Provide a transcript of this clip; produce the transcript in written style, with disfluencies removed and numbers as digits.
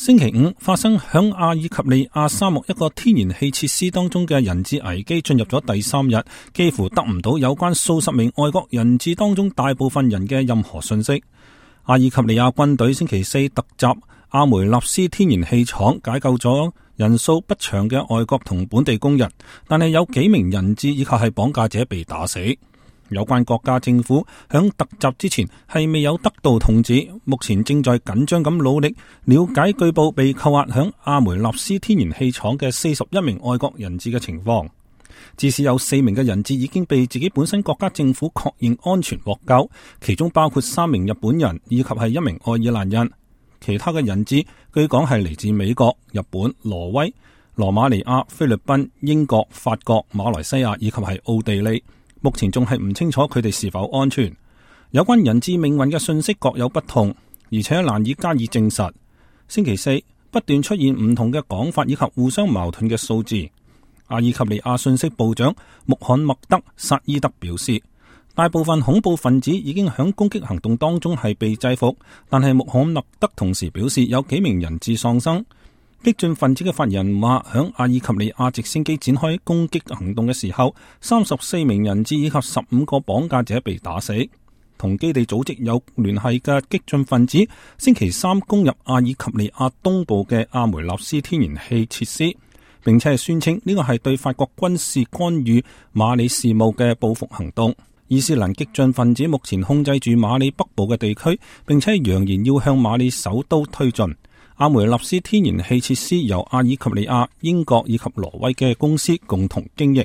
星期五發生響阿爾及利亞沙漠一個天然氣設施當中嘅人質危機進入咗第3日，幾乎得唔到有關數十名外國人質當中大部分人嘅任何信息。阿爾及利亞軍隊星期四突襲阿梅納斯天然氣廠，解救咗人數不詳嘅外國同本地工人，但係有幾名人質以及係綁架者被打死。有關國家政府響突襲之前係未有得到通知，目前正在緊張咁努力了解據報被扣押響阿梅納斯天然氣廠嘅41名外國人質嘅情況。至少有4名嘅人質已經被自己本身國家政府確認安全獲救，其中包括3名日本人以及係1名愛爾蘭人。其他嘅人質據講係嚟自美國、日本、挪威、羅馬尼亞、菲律賓、英國、法國、馬來西亞以及係奧地利。目前仲係唔清楚佢哋是否安全。有關人質命運嘅信息各有不同，而且難以加以證實。星期四不斷出現唔同嘅講法以及互相矛盾嘅數字。阿爾及利亞信息部長穆罕默德·薩伊德表示，大部分恐怖分子已經響攻擊行動當中係被制服，但係穆罕默德同時表示有幾名人質喪生。激進分子嘅發言人話，響阿爾及利亞直升機展開攻擊行動嘅時候，34名人質以及15個綁架者被打死。同基地組織有聯繫嘅激進分子星期三攻入阿爾及利亞東部嘅阿梅納斯天然氣設施，並且係宣稱呢個係對法國軍事干預馬里事務嘅報復行動。伊斯蘭激進分子目前控制住馬里北部嘅地區，並且揚言要向馬里首都推進。阿梅納斯天然氣設施由阿爾及利亞、英國以及挪威嘅公司共同經營。